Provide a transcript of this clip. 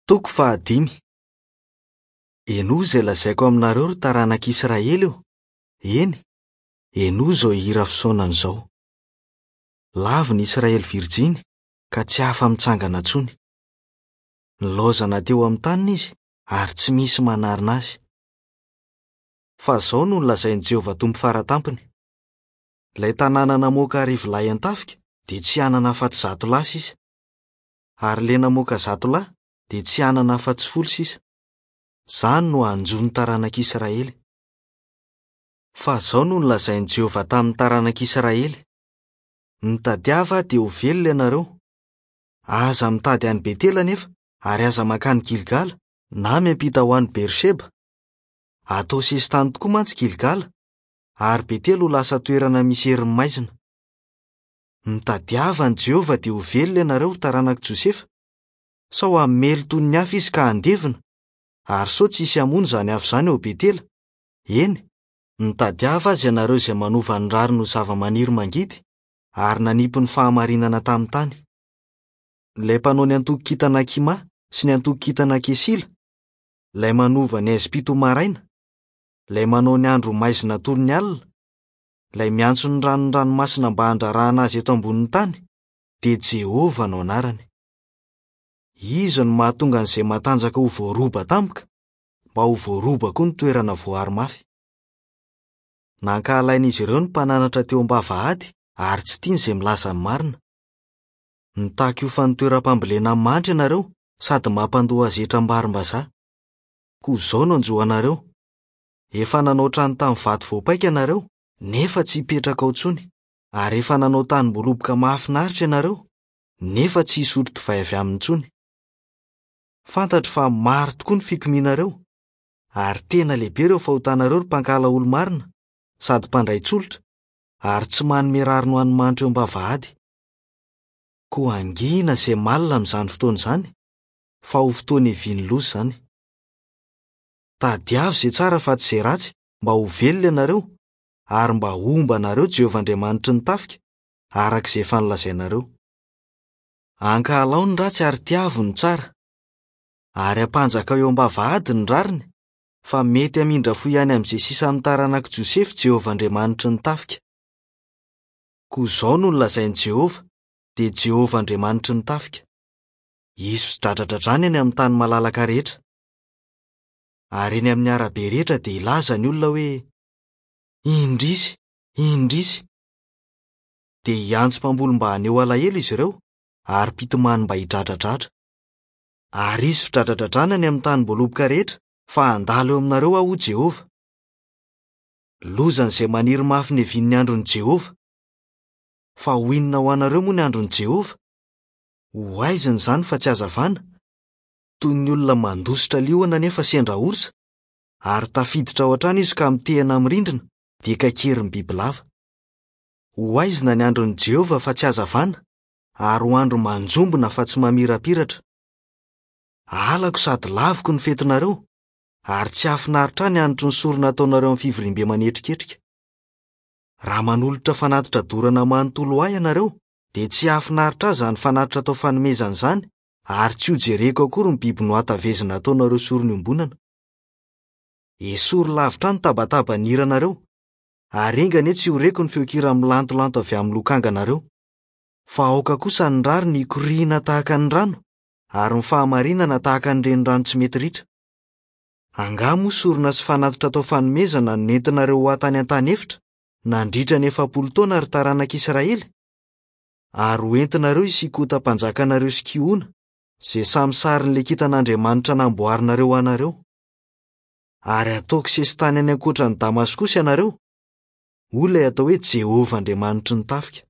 Toko fahadimy. Henoy izay lazaiko aminareo ry taranak'Israely ô! Eny, henoy izao hira fisaonana izao. Lavo ny Israely virjiny ka tsy afa-mitsangana intsony. Nilaozana teo amin'ny taniny izy ary tsy misy manarina azy. Fa izao no nolazain'i Jehovah Tompo Fara Tampony, Ilay tanàna namoaka arivolahy an-tafika dia tsy hanana afa-tsy zatolahy sisa. Ary ilay namoaka zatolahy dia tsy hanana afa-tsy folo sisa. Izany no hanjo ny taranak'Israely. Fa izao no nolazain'i Jehovah tamin'ny taranak'Israely, Mitadiava ahy dia ho velona ianareo. Aza mitady any Betela anefa, ary aza mankany Gilgala, na miampita ho any Beersheba. Hatao sesitany tokoa mantsy Gilgala, ary Betela ho lasa toerana misy herin'ny maizina. Mitadiava an'i Jehovah dia ho velona ianareo, ry taranak'i Josefa, sao hamely toy ny afo izy ka handevona, ary sao tsy hisy hamono izany afo izany ao Betela. Eny, mitadiava azy ianareo izay manova ny rariny ho zavamaniry mangidy, ary nanipy ny fahamarinana tamin'ny tany. Ilay mpanao ny antokon-kintana Kima sy ny antokon-kintana Kesila, ilay manova ny haizim-pito ho maraina, ilay manao ny andro ho maizina toy ny alina, ilay miantso ny ranon'ny ranomasina mba handrarahana azy eto ambonin'ny tany, dia Jehovah no anarany. Izy no mahatonga an'izay matanjaka ho voaroba tampoka, mba ho voaroba koa ny toerana voaro mafy. Nankahalain'izy ireo ny mpananatra teo am-bavahady ary tsy tiany izay milaza ny marina. Mitaky hofan'ny toeram-pambolena mandry ianareo sady mampandoa azy hetram-barimbazaha. Koa izao no hanjo anareo, Efa nanao trano tamin'ny vato voapaika ianareo, nefa tsy hipetraka ao intsony, ary efa nanao tanimboaloboka mahafinaritra ianareo, nefa tsy hisotro divay avy aminy intsony. Fantatro fa maro tokoa ny fikomianareo, ary tena lehibe ireo fahotanareo ry mpankahala olo-marina sady mpandray tsolotra, ary tsy manome rariny ho an'ny mahantra eo am-bavahady. Koa hangina izay malina amin'izany fotoana izany, fa ho fotoana hiavian'ny loza izany. Tadiavo izay tsara fa tsy izay ratsy mba ho velona ianareo, ary mba homba anareo Jehovah Andriamanitry ny tafika, araka izay efa nolazainareo. Ankahalao ny ratsy ary tiavo ny tsara. Ary ampanjakao eo am-bavahady ny rariny, fa mety hamindra fo ihany amin'izay sisa amin'ny taranak'i Josefa Jehovah Andriamanitry ny tafika. Koa izao no nolazain'i Jehovah, dia Jehovah Andriamanitry ny tafika, Hisy fidradradradrana eny amin'ny tany malalaka rehetra. Ary eny amin'ny arabe rehetra dia hilaza ny olona hoe, Indrisy! Indrisy! Dia hiantso mpamboly mba haneho alahelo izy ireo, ary mpitomany mba hidradradradra. Ary hisy fidradradradrana any amin'ny tanimboaloboka rehetra, fa handalo eo aminareo Aho, hoy Jehovah. Lozan'izay maniry mafy ny hiavian'ny andron'i Jehovah! Fa ho inona ho anareo moa ny andron'i Jehovah? Ho haizina izany fa tsy hazavana, toy ny olona mandositra liona nefa sendra orsa, ary tafiditra ao an-trano izy ka mitehina amin'ny rindrina, dia kaikerin'ny bibilava. Ho haizina ny andron'i Jehovah fa tsy hazavana, ary ho andro manjombona fa tsy mamirapiratra. Halako sady laviko ny fetinareo, ary tsy hahafinaritra ahy ny hanitry ny sorona ataonareo amin'ny fivoriambe manetriketrika. Raha manolotra fanatitra dorana manontolo ho ahy ianareo, dia tsy hahafinaritra ahy izany fanatitra atao fanomezana izany, ary tsy hojereko akory ny biby nohatavezina ataonareo sorona iombonana. Esory lavitra ahy ny tabataban'ny hiranareo, ary enga anie tsy ho reko ny feon-kira milantolanto avy amin'ny lokanganareo. Fa aoka kosa ny rariny hikoriana tahaka ny rano, ary ny fahamarinana tahaka ny renirano tsy mety ritra. Angaha moa sorona sy fanatitra atao fanomezana no nentinareo ho ahy tany an-tany efitra, nandritra ny 40 taona, ry taranak'Israely? Ary ho entinareo i Sikota mpanjakanareo sy Kihona, izay samy sarin'ilay kintan'Andriamanitra namboarinareo ho anareo. Ary hataoko sesitany any ankoatra an'i Damaskosy ianareo, hoy ilay atao hoe Jehovah Andriamanitry ny tafika.